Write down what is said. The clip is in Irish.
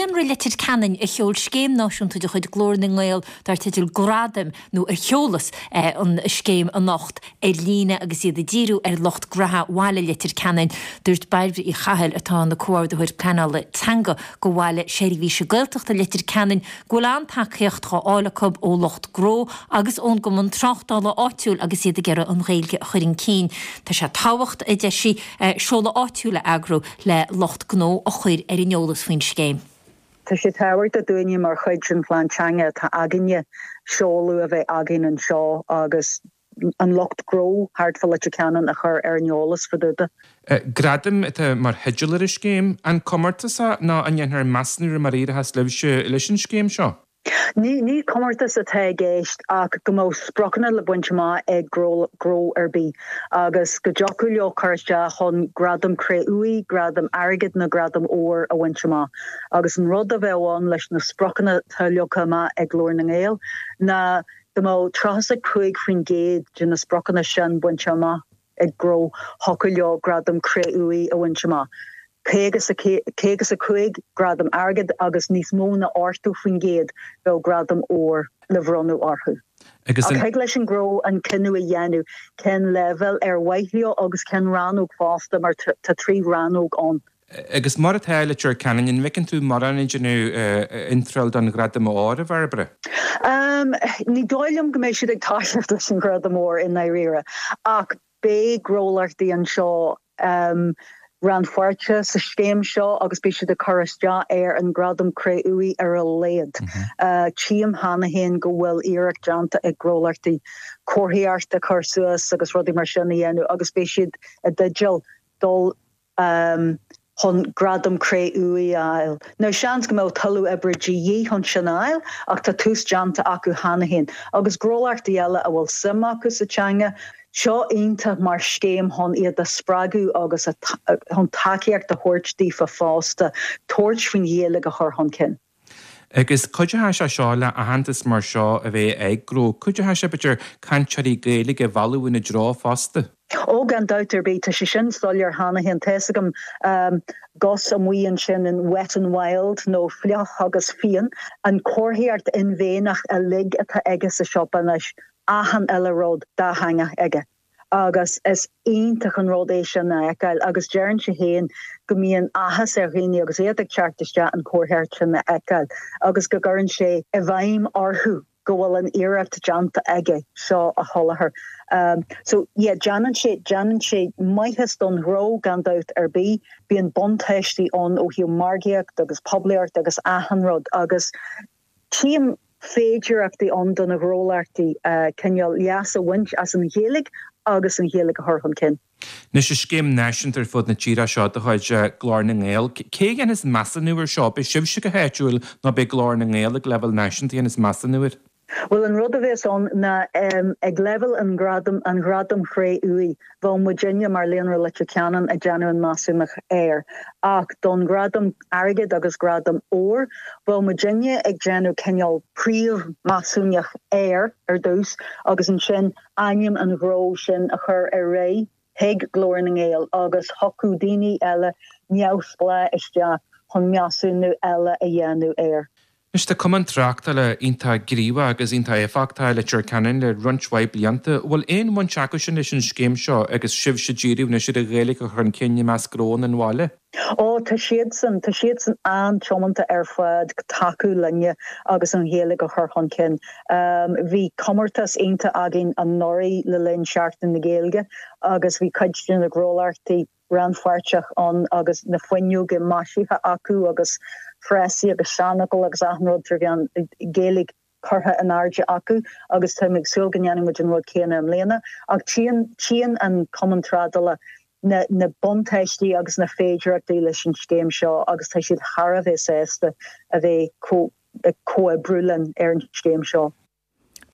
Líonra Leitir Ceanainn a sheol scéim náisiúnta de chuid Glór na nGael dar teideal Gradaim nó ar sheolas an scéim anocht ar líne agus iad ag díriú ar lucht graithe bhaile Leitir Ceanainn. Dúirt Bairbre Uí Chathail, atá ina Comhordaitheoir Pleanála Teanga go Bhaile Seirbhíse Gaeltachta Leitir Ceanainn, go bhfuil an-tacaíocht dhá fháil acu ó lucht gnó agus ón gcumann tráchtála áitiúil agus iad ag iarraidh an Ghaeilge a chur chun cinn. Tá sé tábhacht, a deir sí, seoladh áitiúil a eagrú le lucht gnó a chur ar an eolas faoin scéim. Tá sé tábhachtach dúinne mar chuid den phlean teanga atá againne seoladh a bheith againn anseo agus an lucht gnó thart fá Leitir Ceanainn a chur ar an eolas fá dtaobh de. Gradaim atá mar theideal ar an scéim. An comórtas é nó an ndéanfar measúnú ar mar a éireochas libhse leis an scéim seo? Ní comórtas atá i gceist ach go mbeadh spriocanna le baint amach ag gnó ar bith agus go dtiocfadh leo cur isteach chun gradam cré-umha, gradam airgid nó gradam óir a bhaint amach. Agus an rud a bheadh ann leis na spriocanna atá leagtha amach ag Glór na nGael ná go mbeadh 35% de na spriocanna sin bainte amach ag gnó, thiocfadh leo gradam cré-umha a bhaint amach. 55 gradam airgid agus níos mó ná 80% bheadh gradam óir le bhronnadh orthu. Ach thig leis an ngnó an cinneadh a dhéanamh cén leibhéal ar mhaith leo agus cén rannóg fosta mar tá 3 rannóg ann. Agus mar atá i Leitir Ceanainn, an bhfeiceann tú mórán ag déanamh iontráil don ghradam óir, a Bhairbre? Ní dóigh liom go mbeidh siad ag toiseacht leis an ghradam óir i ndáiríre ach Beidh gnólachtaí anseo rannpháirteach sa scéim seo agus beidh siad ag cur isteach ar an nGradam Cré-Umha ar a laghad. Tchím cheana féin go bhfuil iarracht déanta ag gnólachtaí comharthaíocht a chur suas agus rudaí mar sin a dhéanamh agus beidh siad i dteideal dul chun Gradam Cré-Umha a fháil. Now, seans go mbeadh tuilleadh oibre de dhíth chun sin a fháil, ach tá tús déanta acu cheana féin. Agus gnólachtaí eile a bhfuil suim acu sa teanga, seo iontach mar scéim chun iad a spreagadh agus chun tacaíocht a thabhairt daofa fosta tabhairt faoin Ghaeilge a chur chun cinn. Agus cuideoidh sé seo le aitheantas mar seo a bheith ag gnó. Cuideoidh sé, b'fhéidir, cainteoirí Gaeilge a mhealladh ina dtreo fosta. Ó, gan dabht ar bith, tá sé sin soiléir cheana féin. Tá fhios agam Gus amuigh ansin in Wet n Wild nó Fliuch agus Fiáin, an comharthaíocht inmhéanach uilig atá aige sa siopa anois, achan uile rud dátheangach aige. Agus is iontach an rud é sin a fheiceáil agus deireann sé féin go mbíonn áthas ar dhaoine agus iad ag teacht isteach an chomharthaíocht sin a fheiceáil agus go gcuireann sé i bhfeidhm orthu go bhfuil an iarracht déanta aige seo a sholáthar. So yeah, déanann sé, déanann sé maitheas don ghnó gan dabht ar bith. Bíonn buntáistí ann ó thaobh margaíocht agus poiblíocht agus achan rud agus Tchím féidearthachtaí ann do na gnólachtaí cineál leas a bhaint as an Ghaeilge agus an Ghaeilge a chur chun cinn. Anois, is scéim náisiúnta ar fud na tíre seo de chuid Glór na nGael. Cé a dhéanfas measúnú air seo? Beidh sibhse go háitiúil nó beidh Glór na nGael ag leibhéal náisiúnta a dhéanfas measúnú air? Bhuel, an rud a bheas ann ná ag leibhéal an ghradaim, an Ghradaim Chré-Umha, bheadh muidinne mar Líonra Leitir Ceanainn ag déanamh an measúnach air. Ach don Ghradam Airgid agus Gradam Óir, bheadh muidinne ag déanamh cineál príomh-mheasúnach air ar dtús agus ansin ainm an ghnó sin a chur ar aghaidh chuig Glór na nGael agus thiocfadh daoine eile neamhspleách isteach chun measúnú eile a dhéanamh air. Anois tá Cumann Tráchtála iontach gníomhach agus iontach éifeachtach i Leitir Ceanainn le roinnt mhaith blianta. Bhfuil aon bhaint acu sin leis an scéim seo agus sibhse ag díriú anois ar an Ghaeilge a chur chun cinn i measc gnóanna an bhaile? Ó, tá siadsan, tá siadsan an-tiomanta ar fad tacú linne agus an Ghaeilge a chur chun cinn. Bhí comórtas iontach againn anuraidh le linn Seachtain na Gaeilge agus bhí cuid de na gnólachtaí, rannpháirteach ann agus na fuinneoga maisithe acu agus frásaí agus seanfhocail agus achan rud trí mheán Gaeilge curtha in airde acu agus táim ag súil go ndéanfaidh muid an rud céanna i mbliana. Ach tchíonn, tchíonn an Cumann Trádála na, na buntáistí agus na féidearthachtaí leis an scéim seo agus tá siad thar a bheith sásta a bheith ag comhoibriú linn ar an scéim seo.